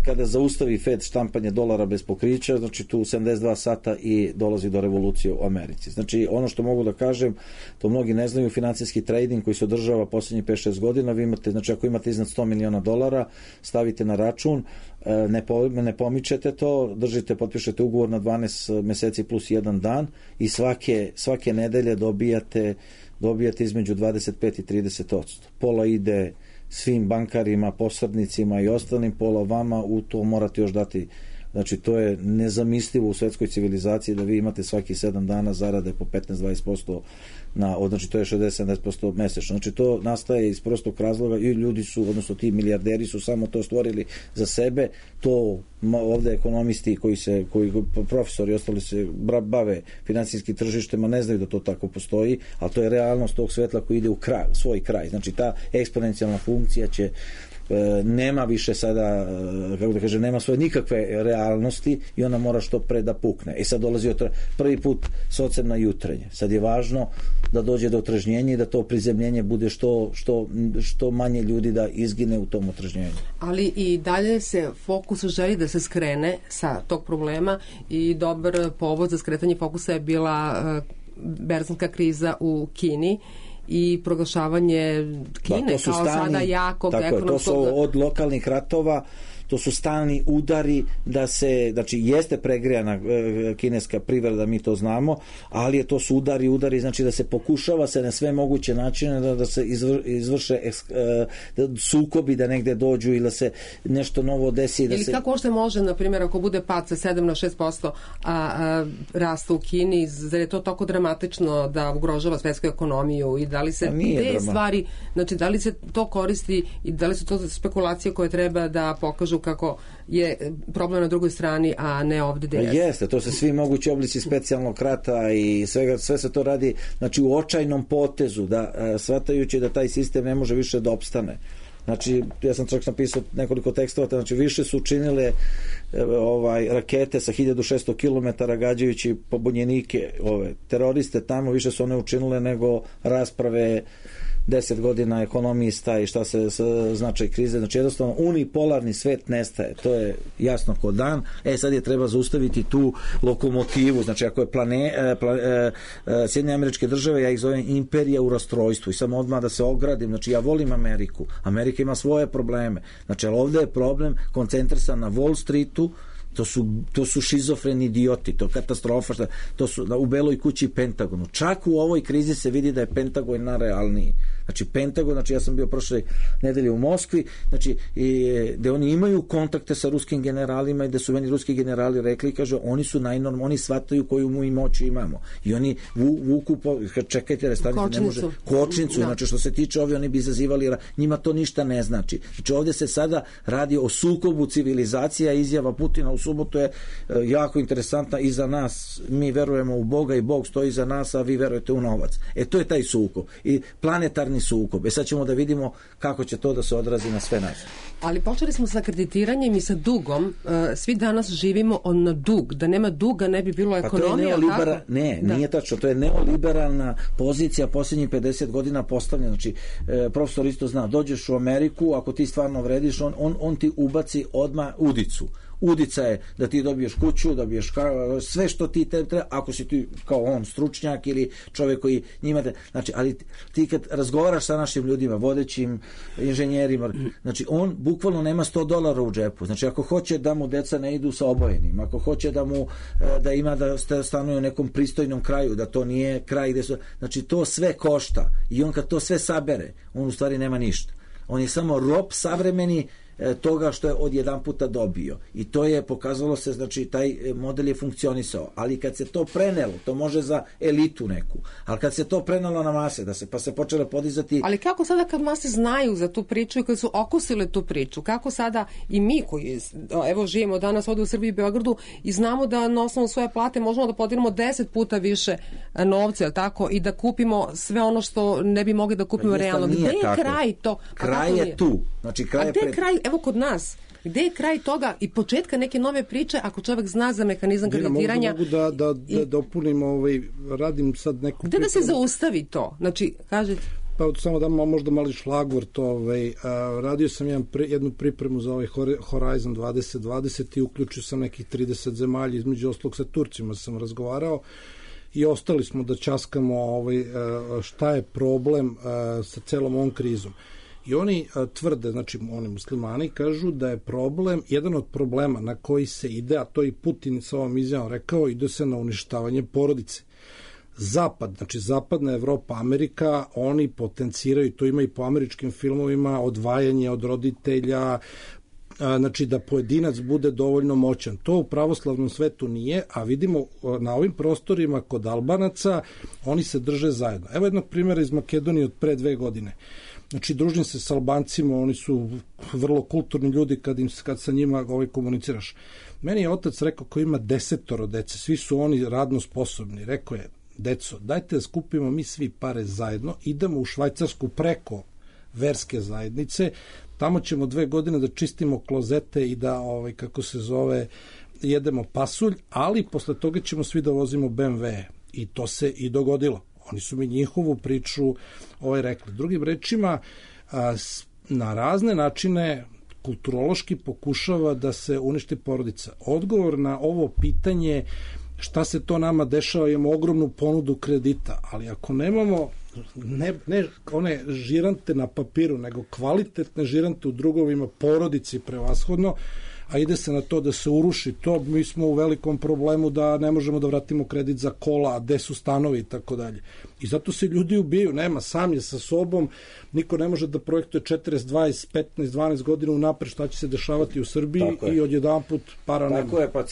kada zaustavi Fed štampanje dolara bez pokrića, znači tu 72 sata i dolazi do revolucije u Americi. Znači ono što mogu da kažem, to mnogi ne znaju, financijski trading koji se održava poslednjih 5-6 godina, vi imate, znači ako imate iznad $100 miliona, stavite na račun, ne pomičete to, držite, potpišete ugovor na 12 meseci plus 1 dan i svake nedelje dobijate između 25 i 30%. Pola ide svim bankarima, posrednicima i ostalim, pola vama, u to morate još dati. Znači to je nezamislivo u svetskoj civilizaciji da vi imate svaki 7 dana zarade po 15-20%, znači to je 60-70% mesečno. Znači to nastaje iz prostog razloga i ljudi su, odnosno ti milijarderi su samo to stvorili za sebe. To ovde ekonomisti koji profesori i ostali se bave finansijskim tržištima ne znaju da to tako postoji, ali to je realnost tog svetla koji ide u svoj kraj. Znači ta eksponencijalna funkcija će nema više sada, kako da kažem, nema svoje nikakve realnosti i ona mora što pre da pukne. Sad dolazi prvi put socem na jutrenje. Sad je važno da dođe do otrežnjenja i da to prizemljenje bude što manje ljudi da izgine u tom otrežnjenju. Ali i dalje se fokus želi da se skrene sa tog problema i dobar povod za skretanje fokusa je bila berzanska kriza u Kini i proglašavanje Kine kao sada jakog ekonomskog... To su od lokalnih ratova, to su stalni udari da se, znači jeste pregrijana kineska privreda, mi to znamo, ali to su udari, znači da se pokušava se na sve moguće načine da se izvrše sukobi, da negde dođu ili da se nešto novo desi. Ili kako ošte može, na primjer, ako bude pad sa 7 na 6% rasta u Kini, zar je to toliko dramatično da ugrožava svetsku ekonomiju i da li se te stvari, znači da li se to koristi i da li su to spekulacije koje treba da pokažu kako je problem na drugoj strani, a ne ovde gde jeste. Jeste, to se svi mogući oblici specijalnog rata i sve se to radi, znači u očajnom potezu, da shvatajući da taj sistem ne može više da opstane. Znači, ja sam čak napisao nekoliko tekstova, znači više su učinile rakete sa 1600 km gađajući pobunjenike, teroriste tamo, više su one učinile nego rasprave 10 godina ekonomista i šta se značaj krize, znači jednostavno unipolarni svet nestaje, to je jasno ko dan. Sad je treba zaustaviti tu lokomotivu, znači ako je Sjedinjene Američke Države, ja ih zovem imperija u rastrojstvu i samo odmah da se ogradim, znači ja volim Ameriku, Amerika ima svoje probleme, znači ali ovde je problem koncentrisan na Wall Streetu, to su šizofreni idioti, to je katastrofa, to su u Beloj kući i Pentagonu. Čak u ovoj krizi se vidi da je Pentagon najrealniji. Znači Pentagon, znači ja sam bio prošle nedelje u Moskvi, znači gde oni imaju kontakte sa ruskim generalima i da su meni ruski generali rekli, kaže, oni su oni shvataju koju mu i moći imamo. I oni vuku, čekajte, restanite, ne može, kočnicu, znači što se tiče ovi, oni bi izazivali, njima to ništa ne znači. Znači ovdje se sada radi o sukobu civilizacija, izjava Putina u subotu je jako interesantna i za nas, mi verujemo u Boga i Bog stoji za nas, a vi verujete u novac. To je taj sukob i planetarni sukob. Sad ćemo da vidimo kako će to da se odrazi na sve nas. Ali počeli smo sa kreditiranjem i sa dugom. Svi danas živimo na dug. Da nema duga ne bi bilo ekonomija. Nije tačno. To je neoliberalna pozicija posljednjih 50 godina postavljena. Znači, profesor isto zna, dođeš u Ameriku, ako ti stvarno vrediš, on ti ubaci odmah udicu. Udica je da ti dobiješ kuću, dobiješ sve što ti treba, ako si ti kao on stručnjak ili čovjek koji njima znači, ali ti kad razgovaraš sa našim ljudima, vodećim inženjerima, znači on bukvalno nema $100 u džepu, znači ako hoće da mu deca ne idu sa obojenim, ako hoće da ima da stanuje u nekom pristojnom kraju, da to nije kraj gde su, znači to sve košta i on kad to sve sabere, on u stvari nema ništa, on je samo rob savremeni toga što je odjedan puta dobio i to je pokazalo se, znači taj model je funkcionisao, ali kad se to prenelo, to može za elitu neku, ali kad se to prenelo na mase, pa se počelo podizati. Ali kako sada kad mase znaju za tu priču i kad su okusile tu priču, kako sada i mi koji evo živimo danas ovdje u Srbiji i Beogradu i znamo da na osnovu svoje plate možemo da podijelimo 10 puta više novca, tako, i da kupimo sve ono što ne bi mogli da kupimo realno. Gde je kraj to? Kraj je tu. Znači kraj je kraj, evo kod nas, gde je kraj toga i početka neke nove priče ako čovjek zna za mehanizam kreditiranja? Mogu da dopunim, radim sad neku... Gde da se zaustavi to? Znači, kažete... Pa samo da možda mali šlagvort, radio sam jednu pripremu za ovaj Horizon 2020 i uključio sam nekih 30 zemalja, između ostalog sa Turcima sam razgovarao i ostali smo da ćaskamo šta je problem sa celom ovom krizom. I oni tvrde, znači oni muslimani kažu da je problem, jedan od problema na koji se ide, a to i Putin sa ovom izjavom rekao, ide se na uništavanje porodice. Zapad, znači zapadna Evropa, Amerika, oni potenciraju, to ima i po američkim filmovima, odvajanje od roditelja, znači da pojedinac bude dovoljno moćan. To u pravoslavnom svetu nije, a vidimo na ovim prostorima kod Albanaca, oni se drže zajedno. Evo jednog primjera iz Makedonije od pre 2 godine. Znači, družim se s Albancima, oni su vrlo kulturni ljudi kad sa njima komuniciraš. Meni je otac rekao koji ima 10 dece, svi su oni radno sposobni. Rekao je, deco, dajte da skupimo mi svi pare zajedno, idemo u Švajcarsku preko verske zajednice, tamo ćemo 2 godine da čistimo klozete i da, jedemo pasulj, ali posle toga ćemo svi da vozimo BMW. I to se i dogodilo. Oni su mi njihovu priču rekli. Drugim rečima, na razne načine kulturološki pokušava da se uništi porodica. Odgovor na ovo pitanje šta se to nama dešava, imamo ogromnu ponudu kredita, ali ako nemamo ne one žirante na papiru, nego kvalitetne žirante u drugovima, porodici prevashodno, a ide se na to da se uruši to. Mi smo u velikom problemu da ne možemo da vratimo kredit za kola, a gde su stanovi i tako dalje. I zato se ljudi ubijaju, nema, sam je sa sobom, niko ne može da projektuje 40, 20, 15, 12 godina unapred šta će se dešavati u Srbiji i odjedanput para nema. Tako je, pa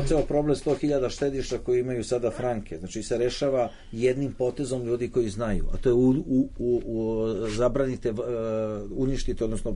ceo problem 100.000 štediša koji imaju sada franke, znači se rešava jednim potezom ljudi koji znaju, a to je zabranite, uništite, odnosno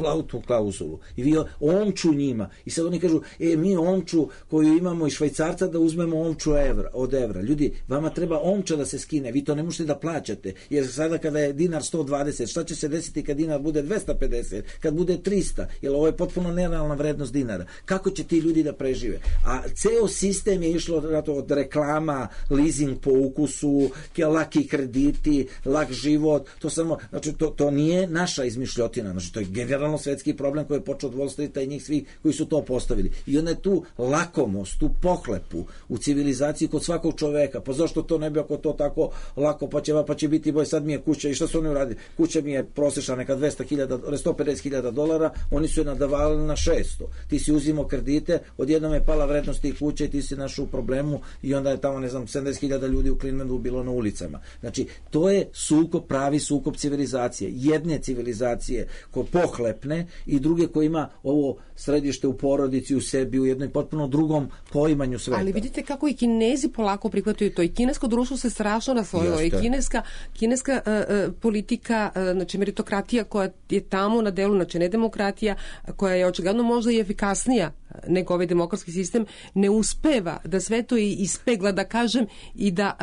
valutnu klauzulu. I vi omču njima. I sad oni kažu, mi omču koju imamo iz Švajcarca da uzmemo omču od evra. Ljudi, vama treba omča da se skine, vi to ne možete da plaćate, jer sada kada je dinar 120, šta će se desiti kad dinar bude 250, kad bude 300, jer ovo je potpuno nerealna vrednost dinara. Kako će ti ljudi da prežive? A ceo sistem je išlo od reklama, leasing po ukusu, laki krediti, lak život, to samo, znači to nije naša izmišljotina, znači to je generalno svetski problem koji je počeo od Wall Streeta i njih svih koji su to postavili. I onda je tu lakomost, tu pohlepu u civilizaciji kod svakog čoveka. Pa zašto to ne bi ako to tako lako, pa će biti boj, sad mi je kuća, i šta su oni uradili? Kuća mi je prosječna neka $150,000, oni su je nadavali na 600. Ti si uzimao kredite, odjednom je pala vrednost tih kuća i ti si našao u problemu i onda je tamo, 70.000 ljudi u Clevelandu bilo na ulicama. Znači, to je pravi sukob civilizacije. Jedne civilizacije koje pohlepne i druge koje ima ovo središte u porodici, u sebi, u jednom potpuno drugom poimanju sveta. Ali vidite kako i Kinezi polako prihvataju to. I kinesko društvo se strašno raslojilo. I kineska politika, znači meritokratija koja je tamo na delu, znači ne demokratija, koja je očigledno možda i efikasnija nego ovaj demokratski sistem, ne uspeva da sve to ispegla, da kažem, i da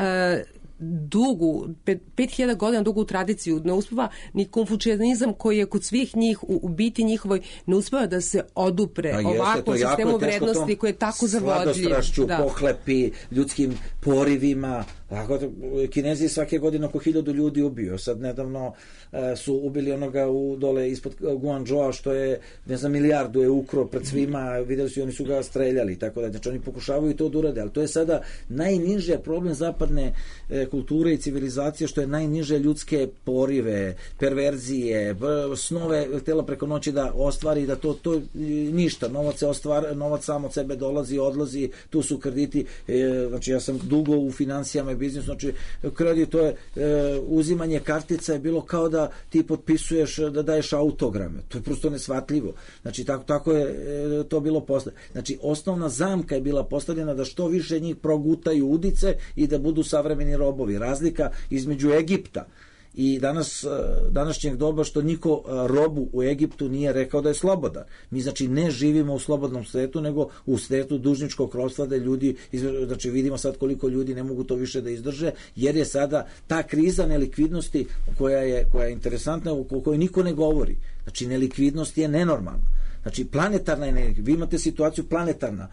5.000 godina dugu tradiciju, ne uspeva ni konfucijanizam koji je kod svih njih u biti njihovoj, ne uspeva da se odupre ovakvom sistemu vrednosti koji je tako zavodljiv. Sladostrašću, pohlepi, ljudskim porivima. Kinezi svake godine oko 1000 ljudi ubio. Sad nedavno su ubili onoga dole ispod Guangzhoua što je, milijardu je ukro pred svima, videli su i oni su ga streljali, tako da, znači oni pokušavaju to da urade, ali to je sada najniže problem zapadne kulture i civilizacije, što je najniže ljudske porive, perverzije, snove htjela preko noći da ostvari, da to ništa, novac sam od sebe dolazi, odlazi, tu su krediti, znači ja sam dugo u financijama i biznisu, znači kredit, to je uzimanje kartica je bilo kao da ti potpisuješ, da daješ autograme, to je prosto nesvatljivo, znači tako je to bilo postavljeno, znači osnovna zamka je bila postavljena da što više njih progutaju udice i da budu savremeni robovi. Razlika između Egipta i današnjeg doba što niko robu u Egiptu nije rekao da je slobodan. Mi znači ne živimo u slobodnom svetu, nego u svetu dužničkog ropstva, da ljudi, znači vidimo sad koliko ljudi ne mogu to više da izdrže, jer je sada ta kriza nelikvidnosti koja je interesantna, o kojoj niko ne govori. Znači nelikvidnost je nenormalna. Znači planetarna energija, vi imate situaciju planetarna,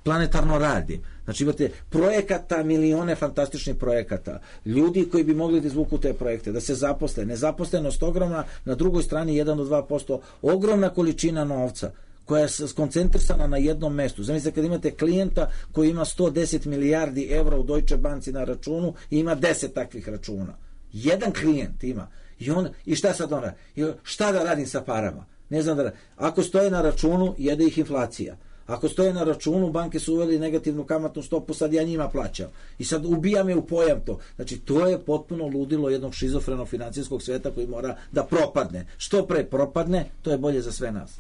planetarno radi. Znači imate projekata, milione fantastičnih projekata, ljudi koji bi mogli da izvuku te projekte, da se zaposle, nezaposlenost ogromna, na drugoj strani 1 do 2%, ogromna količina novca koja je skoncentrisana na jednom mestu. Zamislite kad imate klijenta koji ima 110 milijardi evra u Deutsche Banci na računu i ima 10 takvih računa. Jedan klijent ima. I šta sad on radi? Šta da radim sa parama? Ne znam da. Ako stoje na računu, jede ih inflacija. Ako stoje na računu, banke su uveli negativnu kamatnu stopu, sad ja njima plaćam. I sad ubija me u pojam to. Znači, to je potpuno ludilo jednog šizofrenog financijskog sveta koji mora da propadne. Što pre propadne, to je bolje za sve nas.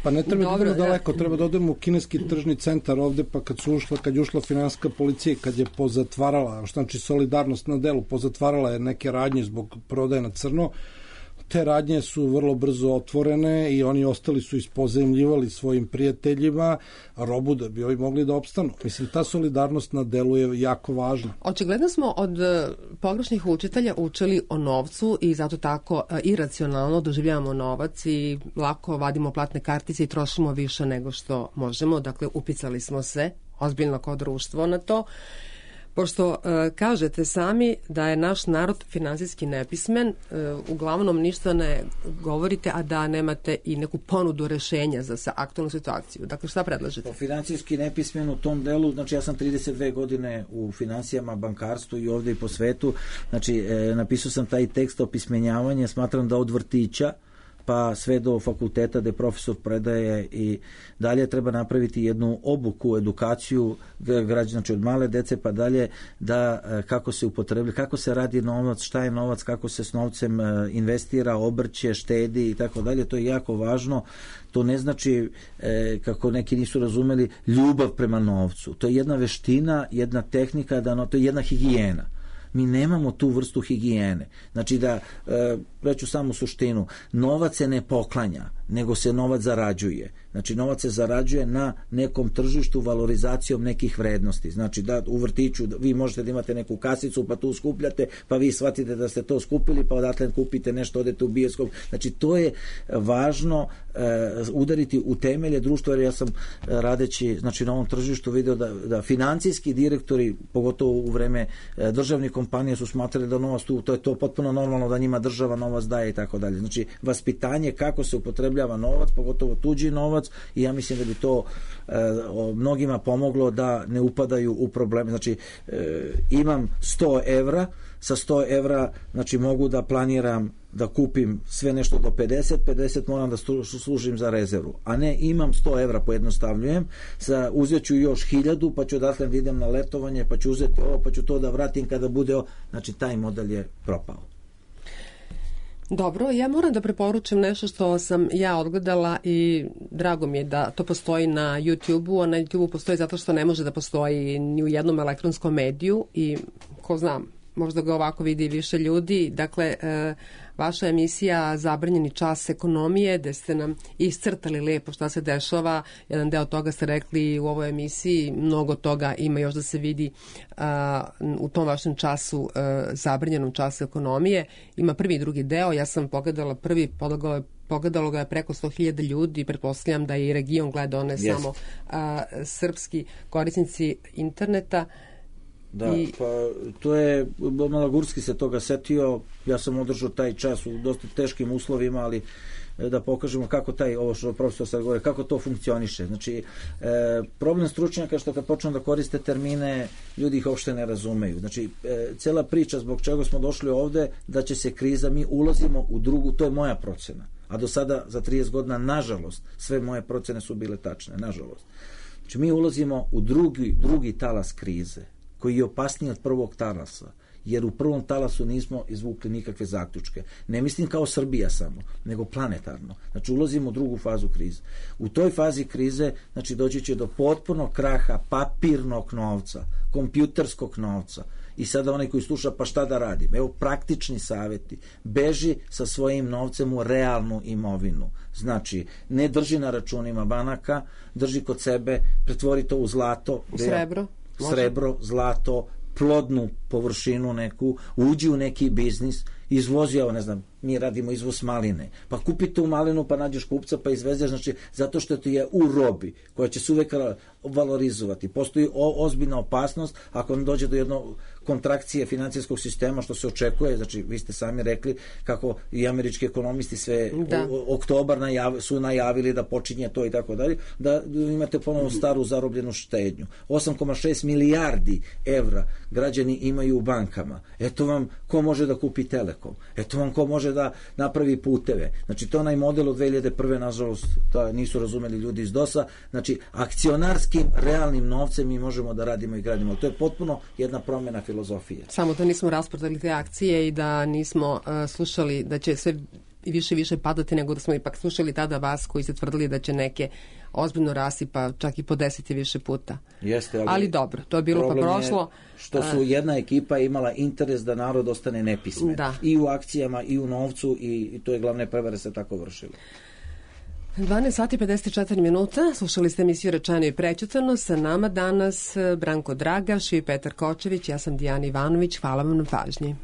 Pa ne treba da idemo daleko, treba da odemo u kineski tržni centar ovde, pa kad je ušla finansijska policija, kad je pozatvarala, što znači solidarnost na delu, pozatvarala je neke radnje zbog prodaje na crno, te radnje su vrlo brzo otvorene i oni ostali su ispozajmljivali svojim prijateljima robu da bi ovi mogli da opstanu. Mislim, ta solidarnost na delu je jako važna. Očigledno smo od pogrešnih učitelja učili o novcu i zato tako iracionalno doživljavamo novac i lako vadimo platne kartice i trošimo više nego što možemo. Dakle, upicali smo se ozbiljno kao društvo na to. Pošto kažete sami da je naš narod finansijski nepismen, uglavnom ništa ne govorite, a da nemate i neku ponudu rešenja za aktualnu situaciju. Dakle, šta predlažete? Finansijski nepismen u tom delu, znači ja sam 32 godine u finansijama, bankarstvu i ovde i po svetu, znači napisao sam taj tekst o pismenjavanju, smatram da od vrtića pa sve do fakulteta gde profesor predaje i dalje treba napraviti jednu obuku, edukaciju građana, znači od male dece pa dalje, da kako se upotrebljava, kako se radi novac, šta je novac, kako se s novcem investira, obrće, štedi i tako dalje. To je jako važno. To ne znači, kako neki nisu razumeli, ljubav prema novcu. To je jedna veština, jedna tehnika, to je jedna higijena. Mi nemamo tu vrstu higijene. Znači da, reću samo suštinu, novac se ne poklanja, nego se novac zarađuje. Znači novac se zarađuje na nekom tržištu valorizacijom nekih vrednosti. Znači da u vrtiću vi možete da imate neku kasicu pa tu skupljate, pa vi shvatite da ste to skupili, pa odatle kupite nešto, odete u bioskop. Znači to je važno udariti u temelje društva, jer ja sam radeći znači na ovom tržištu video da financijski direktori, pogotovo u vreme državnih kompanija, su smatrali da novac tu, to je to potpuno normalno da njima država novac daje i tako dalje. Znači vaspitanje kako se upotrebljava novac, pogotovo tuđi novac, i ja mislim da bi to mnogima pomoglo da ne upadaju u probleme. Znači imam 100 evra, sa 100 evra znači mogu da planiram da kupim sve nešto do 50 moram da služim za rezervu, a ne imam 100 evra, pojednostavljujem, uzet ću još 1000, pa ću odatle da idem na letovanje, pa ću uzeti ovo, pa ću to da vratim kada bude ovo. Znači taj model je propao. Dobro, ja moram da preporučim nešto što sam ja odgledala i drago mi je da to postoji na YouTube-u, a na YouTube-u postoji zato što ne može da postoji ni u jednom elektronskom mediju i ko zna, možda ga ovako vidi više ljudi. Dakle, vaša emisija Zabranjeni čas ekonomije, gde ste nam iscrtali lepo šta se dešava. Jedan deo toga ste rekli u ovoj emisiji, mnogo toga ima još da se vidi u tom vašem času, zabranjenom času ekonomije. Ima prvi i drugi deo, ja sam pogledala prvi, pogledalo ga je preko 100.000 ljudi, pretpostavljam da je i region gledao, ne samo srpski korisnici interneta. Da, pa to je, Malagurski se toga setio, ja sam održao taj čas u dosta teškim uslovima, ali da pokažemo kako ovo što profesor sad govori, kako to funkcioniše. Znači, problem stručnjaka što kad počnu da koriste termine, ljudi ih uopšte ne razumeju. Znači, cela priča zbog čega smo došli ovde, da će se kriza, mi ulazimo u drugu, to je moja procena, a do sada za 30 godina, nažalost, sve moje procene su bile tačne, nažalost. Znači, mi ulazimo u drugi talas krize, koji je opasniji od prvog talasa, jer u prvom talasu nismo izvukli nikakve zaključke. Ne mislim kao Srbija samo, nego planetarno. Znači, ulazimo u drugu fazu krize. U toj fazi krize, znači, doći će do potpunog kraha papirnog novca, kompjuterskog novca. I sada onaj koji sluša, pa šta da radim? Evo, praktični savjeti. Beži sa svojim novcem u realnu imovinu. Znači, ne drži na računima banaka, drži kod sebe, pretvori to u zlato. Srebro, zlato, plodnu površinu neku, uđi u neki biznis, izvozi, evo ne znam, mi radimo izvoz maline, pa kupi tu malinu, pa nađeš kupca, pa izvezeš, znači, zato što ti je u robi, koja će se uvek valorizovati. Postoji ozbiljna opasnost ako ne dođe do jednog kontrakcije financijskog sistema, što se očekuje, znači, vi ste sami rekli kako i američki ekonomisti sve oktobar su najavili da počinje to i tako dalje, da imate ponovno staru zarobljenu štednju. 8,6 milijardi evra građani imaju u bankama. Eto vam ko može da kupi Telekom. Eto vam ko može da napravi puteve. Znači, to je onaj model od 2001. nažalost, nisu razumeli ljudi iz DOS-a. Znači, akcionarskim, realnim novcem mi možemo da radimo i gradimo. To je potpuno jedna promjena filozofije. Samo da nismo rasprodali te akcije i da nismo slušali da će sve više padati, nego da smo ipak slušali tada vas koji ste tvrdili da će neke ozbiljno rasti, pa čak i po 10 i više puta. Jeste, ali dobro, to je bilo pa prošlo. Što su jedna ekipa imala interes da narod ostane nepismen. I u akcijama, i u novcu, i to je glavne prevare se tako vršilo. 12 sati 54 minuta, slušali ste emisiju Rečeno i prećutano, sa nama danas Branko Dragaš i Petar Kočević, ja sam Dijana Ivanović, hvala vam na pažnji.